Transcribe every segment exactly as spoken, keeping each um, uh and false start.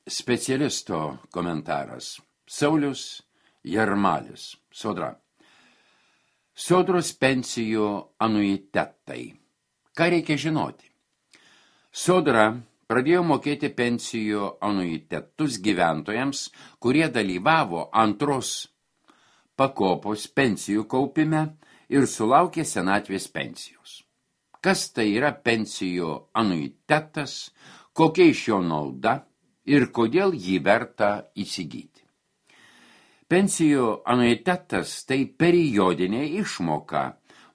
Specialisto komentaras. Saulius Jarmalis, Sodra. Sodros pensijų anuitetai. Ką reikia žinoti? Sodra pradėjo mokėti pensijų anuitetus gyventojams, kurie dalyvavo antros pakopos pensijų kaupime ir sulaukė senatvės pensijos. Kas tai yra pensijų anuitetas, kokia iš jo nauda ir kodėl jį verta įsigyti. Pensijų anuitetas tai periodinė išmoka,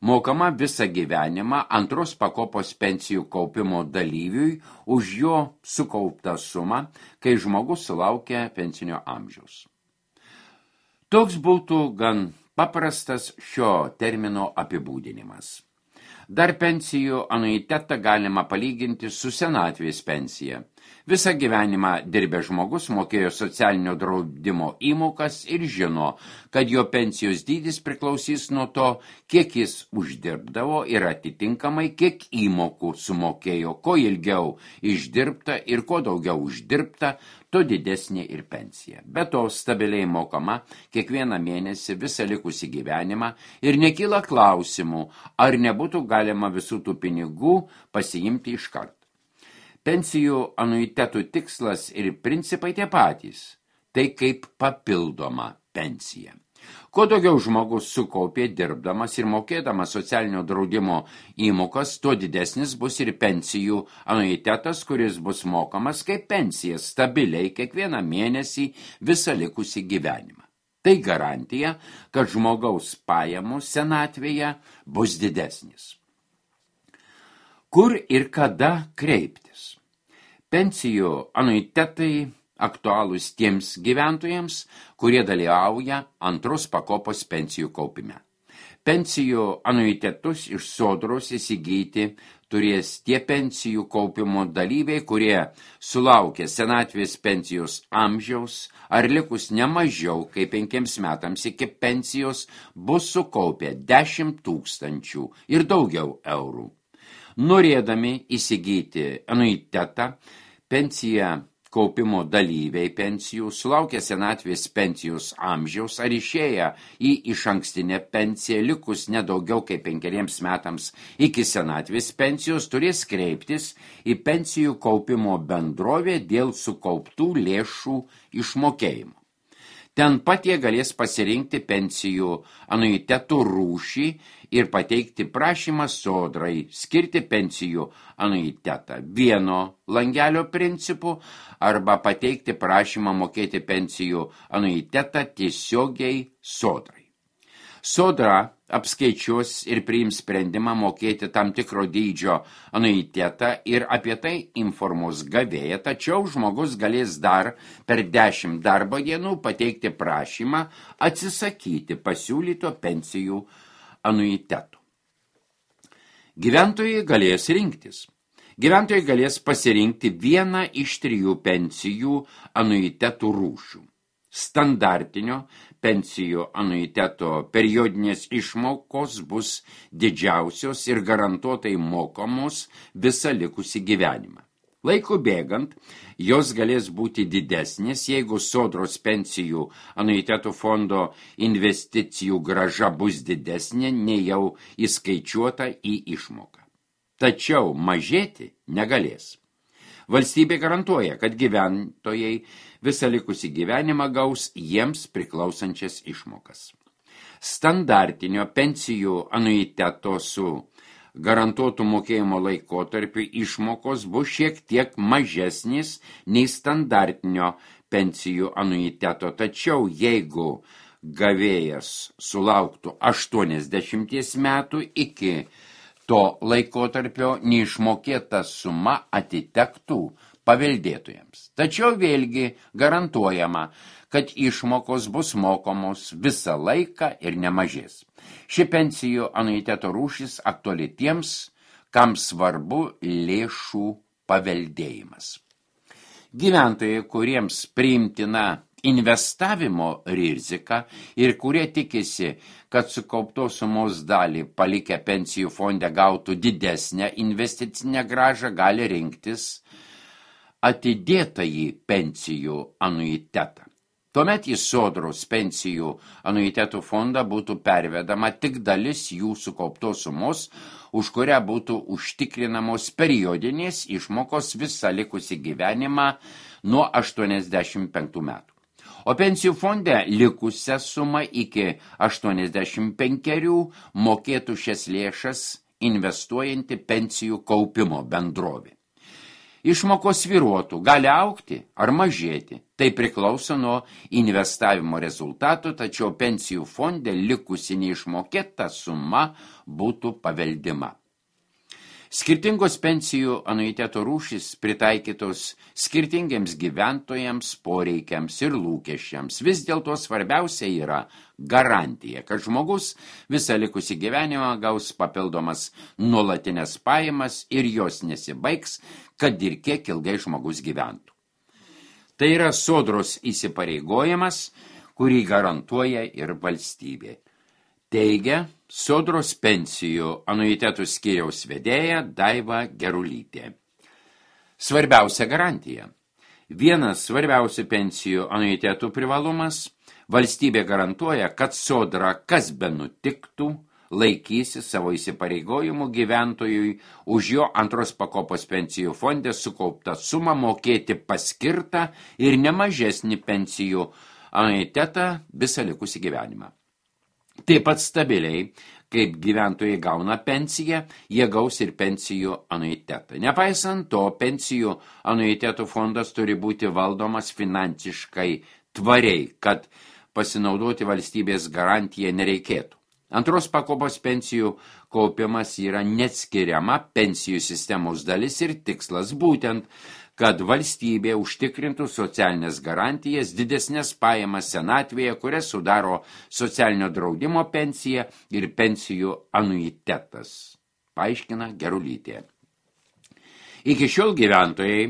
mokama visą gyvenimą antros pakopos pensijų kaupimo dalyviui už jo sukauptą sumą, kai žmogus sulaukia pensinio amžiaus. Toks būtų gan paprastas šio termino apibūdinimas. Dar pensijų anuitetą galima palyginti su senatvės pensija. Visą gyvenimą dirbęs žmogus mokėjo socialinio draudimo įmokas ir žino, kad jo pensijos dydis priklausys nuo to, kiek jis uždirbdavo ir atitinkamai kiek įmokų sumokėjo, ko ilgiau išdirbta ir ko daugiau uždirbta, to didesnė ir pensija. Be to stabiliai mokama kiekvieną mėnesį visą likusį gyvenimą ir nekyla klausimų, ar nebūtų galima visų tų pinigų pasiimti iš karto. Pensijų anuitetų tikslas ir principai tie patys, tai kaip papildoma pensija. Kuo daugiau žmogus sukaupė dirbdamas ir mokėdamas socialinio draudimo įmokas, tuo didesnis bus ir pensijų anuitetas, kuris bus mokamas kaip pensija stabiliai kiekvieną mėnesį visą likusį gyvenimą. Tai garantija, kad žmogaus pajamos senatvėje bus didesnis. Kur ir kada kreiptis? Pensijų anuitetai aktualūs tiems gyventojams, kurie dalyvauja antros pakopos pensijų kaupime. Pensijų anuitetus iš sodros įsigyti turės tie pensijų kaupimo dalyviai, kurie sulaukė senatvės pensijos amžiaus ar likus nemažiau kaip penkiems metams iki pensijos bus sukaupę dešimt tūkstančių ir daugiau eurų. Norėdami įsigyti anuitetą, pensiją kaupimo dalyviai pensijų, sulaukę senatvės pensijos amžiaus ar išėję į išankstinę pensiją likus nedaugiau kaip penkeriems metams iki senatvės pensijos, turės kreiptis į pensijų kaupimo bendrovę dėl sukauptų lėšų išmokėjimo. Ten pat jie galės pasirinkti pensijų anuitetų rūšį ir pateikti prašymą sodrai skirti pensijų anuitetą vieno langelio principu arba pateikti prašymą mokėti pensijų anuitetą tiesiogiai sodrai. Sodra apskaičiuos ir priims sprendimą mokėti tam tikro dydžio anuitetą ir apie tai informuos gavėją, tačiau žmogus galės dar per dešimt darbo dienų pateikti prašymą atsisakyti pasiūlyto pensijų anuitetų. Gyventojai galės rinktis. Gyventojai galės pasirinkti vieną iš trijų pensijų anuitetų rūšių. Standartinio pensijų anuiteto periodinės išmokos bus didžiausios ir garantuotai mokamos visą likusį gyvenimą. Laiku bėgant, jos galės būti didesnės, jeigu sodros pensijų anuitetų fondo investicijų grąža bus didesnė, nei jau įskaičiuota į išmoką. Tačiau mažėti negalės. Valstybė garantuoja, kad gyventojai visą likusį gyvenimą gaus jiems priklausančias išmokas. Standartinio pensijų anuiteto su garantuotų mokėjimo laikotarpiu išmokos bus šiek tiek mažesnis nei standartinio pensijų anuiteto, tačiau jeigu gavėjas sulauktų aštuoniasdešimties metų iki to laikotarpio neišmokėta suma atitektų paveldėtojams. Tačiau vėlgi garantuojama, kad išmokos bus mokomos visą laiką ir nemažės. Ši pensijų anuiteto rūšis aktuali tiems, kam svarbu lėšų paveldėjimas. Gyventojai, kuriems priimtina investavimo rizika ir kurie tikisi, kad sukauptos sumos dalį palikę pensijų fonde gautų didesnę investicinę grąžą, gali rinktis atidėtąjį pensijų anuitetą. Tuomet į Sodros pensijų anuitetų fondą būtų pervedama tik dalis jų sukauptos sumos, už kurią būtų užtikrinamos periodinės išmokos visą likusį gyvenimą nuo aštuoniasdešimt penktų metų. O pensijų fonde likusią sumą iki aštuoniasdešimt penkerių mokėtų šias lėšas investuojanti pensijų kaupimo bendrovė. Išmokos svyruotų, gali augti ar mažėti. Tai priklauso nuo investavimo rezultatų, tačiau pensijų fonde likusi neišmokėta suma būtų paveldima. Skirtingos pensijų anuiteto rūšys pritaikytos skirtingiems gyventojams, poreikiams ir lūkesčiams. Vis dėlto svarbiausia yra garantija, kad žmogus visą likusį gyvenimą gaus papildomas nuolatinės pajamas ir jos nesibaigs, kad ir kiek ilgai žmogus gyventų. Tai yra Sodros įsipareigojimas, kurį garantuoja ir valstybė. Teigia Sodros pensijų anuitetų skyriaus vedėja Daiva Gerulytė. Svarbiausia garantija. Vienas svarbiausių pensijų anuitetų privalumas – valstybė garantuoja, kad Sodra, kas be nutiktų, laikysi savo įsipareigojimų gyventojui už jo antros pakopos pensijų fonde sukauptą sumą mokėti paskirtą ir nemažesnį pensijų anuitetą visą likusį gyvenimą. Taip pat stabiliai, kaip gyventojai gauna pensiją, jie gaus ir pensijų anuitetą. Nepaisant to, pensijų anuitetų fondas turi būti valdomas finansiškai tvariai, kad pasinaudoti valstybės garantiją nereikėtų. Antros pakopos pensijų kaupimas yra neatskiriama pensijų sistemos dalis ir tikslas būtent, kad valstybė užtikrintų socialinės garantijas, didesnės pajamas senatvėje, kurias sudaro socialinio draudimo pensija ir pensijų anuitetas, paaiškina Gerulytė. Iki šiol gyventojai,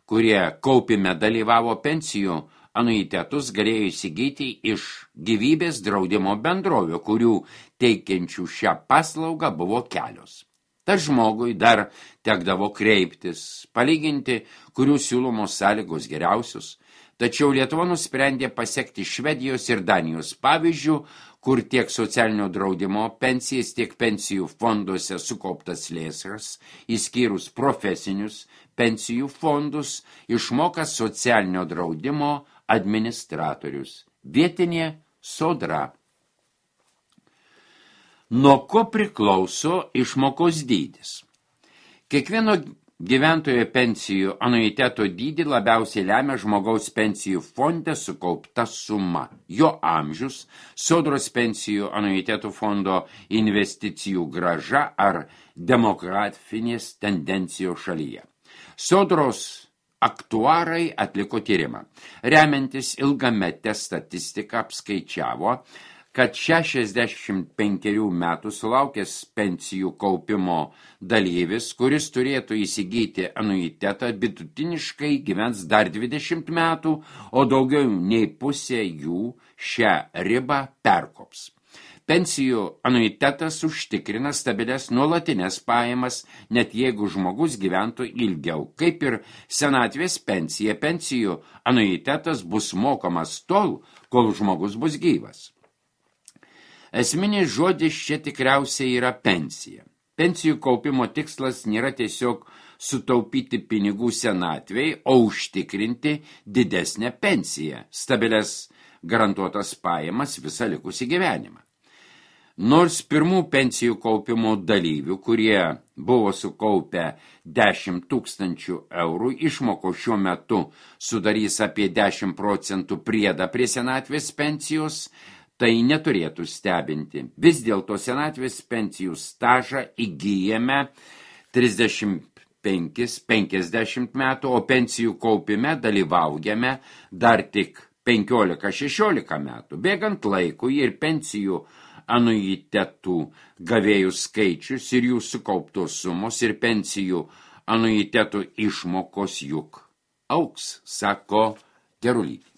kurie kaupime dalyvavo pensijų anuitetus, galėjo įsigyti iš gyvybės draudimo bendrovių, kurių teikiančių šią paslaugą buvo kelios. Tas žmogui dar tekdavo kreiptis, palyginti, kurių siūlomos sąlygos geriausios, tačiau Lietuva nusprendė pasekti Švedijos ir Danijos pavyzdžių, kur tiek socialinio draudimo pensijas, tiek pensijų fonduose sukauptas lėšas, išskyrus profesinius pensijų fondus, išmoka socialinio draudimo administratorius, vietinė Sodra. Nuo ko priklauso išmokos dydis? Kiekvieno gyventojo pensijų anuiteto dydį labiausiai lemia žmogaus pensijų fonde sukaupta suma, jo amžius, Sodros pensijų anuitetų fondo investicijų grąža ar demografinės tendencijos šalyje. Sodros aktuarai atliko tyrimą. Remiantis ilgametę statistiką apskaičiavo, kad šešiasdešimt penkerių metų sulaukęs pensijų kaupimo dalyvis, kuris turėtų įsigyti anuitetą, vidutiniškai gyvens dar dvidešimt metų, o daugiau nei pusė jų šią ribą perkops. Pensijų anuitetas užtikrina stabilias nuolatinės pajamas, net jeigu žmogus gyventų ilgiau. Kaip ir senatvės pensija, pensijų anuitetas bus mokamas tol, kol žmogus bus gyvas. Esminis žodis čia tikriausiai yra pensija. Pensijų kaupimo tikslas nėra tiesiog sutaupyti pinigų senatvei, o užtikrinti didesnę pensiją, stabilias garantuotas pajamas visą likusį gyvenimą. Nors pirmų pensijų kaupimo dalyvių, kurie buvo sukaupę dešimt tūkstančių eurų, išmoko šiuo metu sudarys apie dešimt procentų priedą prie senatvės pensijos, tai neturėtų stebinti. Vis dėlto senatvės pensijų stažą įgyjame trisdešimt penkis penkiasdešimt metų, o pensijų kaupime dalyvaujame dar tik penkiolika šešiolika metų. Bėgant laikui ir pensijų anuitetų gavėjų skaičius ir jų sukauptos sumos ir pensijų anuitetų išmokos juk auks, sako Gerulytė.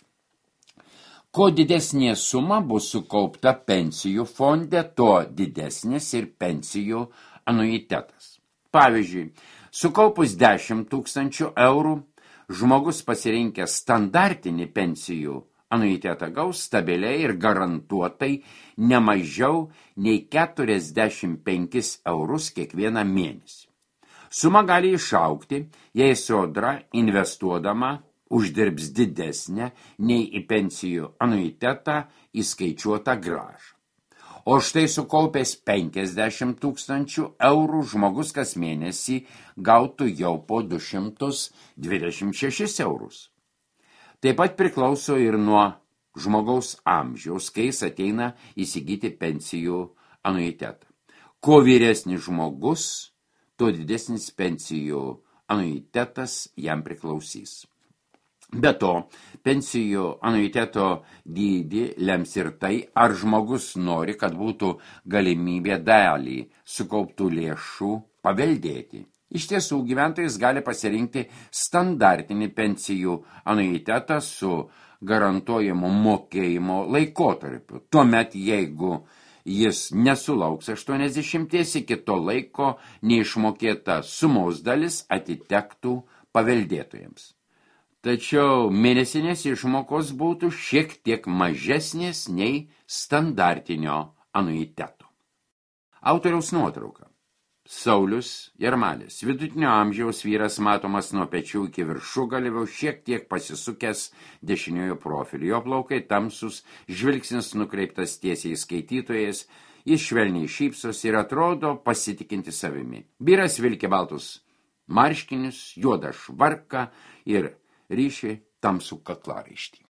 Kuo didesnė suma bus sukaupta pensijų fonde, tuo didesnis ir pensijų anuitetas. Pavyzdžiui, sukaupus dešimt tūkstančių eurų, žmogus pasirinkęs standartinį pensijų anuitetą gaus stabiliai ir garantuotai ne mažiau nei keturiasdešimt penkis eurus kiekvieną mėnesį. Suma gali išaugti, jei sodra investuodama uždirbs didesnę nei į pensijų anuitetą įskaičiuotą gražą. O štai sukaupęs penkiasdešimt tūkstančių eurų žmogus kas mėnesį gautų jau po du šimtus dvidešimt šešis eurus. Taip pat priklauso ir nuo žmogaus amžiaus, kai jis ateina įsigyti pensijų anuitetą. Kuo vyresnis žmogus, tuo didesnis pensijų anuitetas jam priklausys. Be to, pensijų anuiteto dydį lems ir tai, ar žmogus nori, kad būtų galimybė dalį sukauptų lėšų paveldėti. Iš tiesų, gyventojas gali pasirinkti standartinį pensijų anuitetą su garantuojamo mokėjimo laikotarpiu. Tuomet, jeigu jis nesulauks aštuoniasdešimties, iki to laiko neišmokėta sumos dalis atitektų paveldėtojams. Tačiau mėnesinės išmokos būtų šiek tiek mažesnės nei standartinio anuiteto. Autoriaus nuotrauka. Saulius Jarmalis, vidutinio amžiaus vyras, matomas nuo pečių iki viršugalvio, šiek tiek pasisukęs dešiniojo profilio. Jo plaukai tamsus, žvilgsnis nukreiptas tiesiai skaitytojas, jis švelniai šypsosi ir atrodo pasitikinti savimi. Vyras vilkė baltus marškinius, juodą švarką ir ryšį tamsų kaklaraištį.